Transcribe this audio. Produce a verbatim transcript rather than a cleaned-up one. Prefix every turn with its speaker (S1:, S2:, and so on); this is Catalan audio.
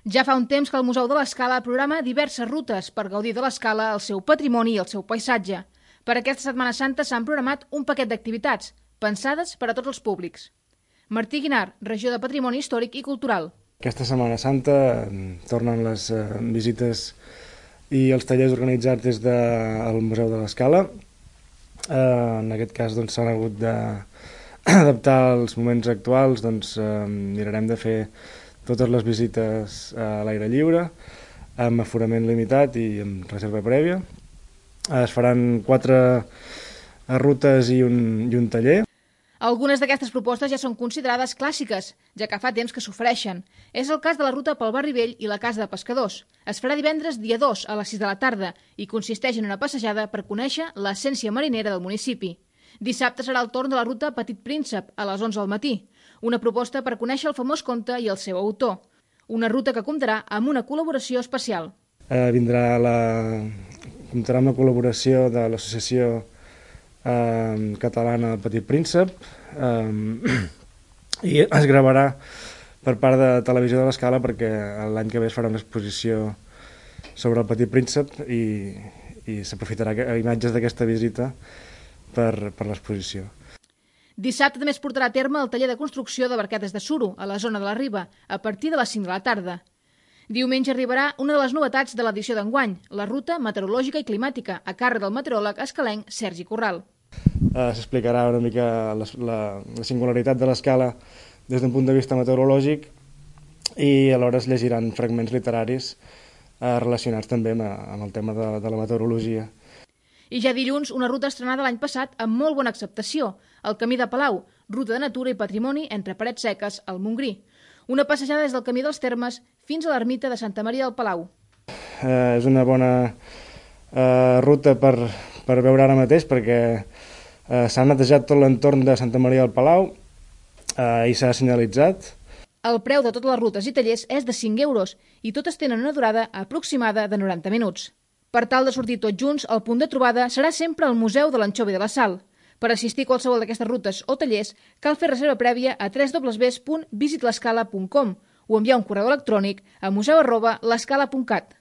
S1: Ja fa un temps que el Museu de l'Escala programa diverses rutes per gaudir de l'Escala, el seu patrimoni i el seu paisatge. Per aquesta Setmana Santa s'han programat un paquet d'activitats, pensades per a tots els públics. Martí Guinar, regió de Patrimoni Històric i Cultural.
S2: Aquesta Setmana Santa tornen les eh, visites i els tallers organitzats des del Museu de l'Escala. Eh, en aquest cas doncs, s'han hagut d'adaptar als moments actuals, doncs eh, mirarem de fer totes les visites a l'aire lliure, amb aforament limitat i amb reserva prèvia. Es faran quatre rutes i un, i un taller.
S1: Algunes d'aquestes propostes ja són considerades clàssiques, ja que fa temps que s'ofereixen. És el cas de la ruta pel Barri Vell i la Casa de Pescadors. Es farà divendres dia dos a les sis de la tarda i consisteix en una passejada per conèixer l'essència marinera del municipi. Dissabte serà el torn de la ruta Petit Príncep a les onze del matí, una proposta per conèixer el famós conte i el seu autor. Una ruta que comptarà amb una col·laboració especial.
S2: Eh, vindrà la... comptarà amb la col·laboració de l'associació eh, catalana del Petit Príncep eh, i es gravarà per part de Televisió de l'Escala perquè l'any que ve es farà una exposició sobre el Petit Príncep i, i s'aprofitarà imatges d'aquesta visita per, per l'exposició.
S1: Dissabte també es portarà a terme el taller de construcció de barquetes de suro a la zona de la Riba, a partir de les cinc de la tarda. Diumenge arribarà una de les novetats de l'edició d'enguany, la ruta meteorològica i climàtica, a càrrec del meteoròleg escalenc Sergi Corral.
S2: Uh, S'explicarà una mica la, la, la singularitat de l'Escala des d'un punt de vista meteorològic i alhora es llegiran fragments literaris uh, relacionats també amb, amb el tema de, de la meteorologia.
S1: I ja dilluns, una ruta estrenada l'any passat amb molt bona acceptació, el Camí de Palau, ruta de natura i patrimoni entre Parets Seques al Montgrí. Una passejada des del Camí dels Termes fins a l'ermita de Santa Maria del Palau.
S2: Eh, és una bona eh, ruta per, per veure ara mateix perquè eh, s'ha netejat tot l'entorn de Santa Maria del Palau eh, i s'ha senyalitzat.
S1: El preu de totes les rutes i tallers és de cinc euros i totes tenen una durada aproximada de noranta minuts. Per tal de sortir tots junts, el punt de trobada serà sempre el Museu de l'Anxovi de la Sal. Per assistir a qualsevol d'aquestes rutes o tallers, cal fer reserva prèvia a w w w punt visit l'escala punt com o enviar un correu electrònic a museu arroba l'escala punt cat.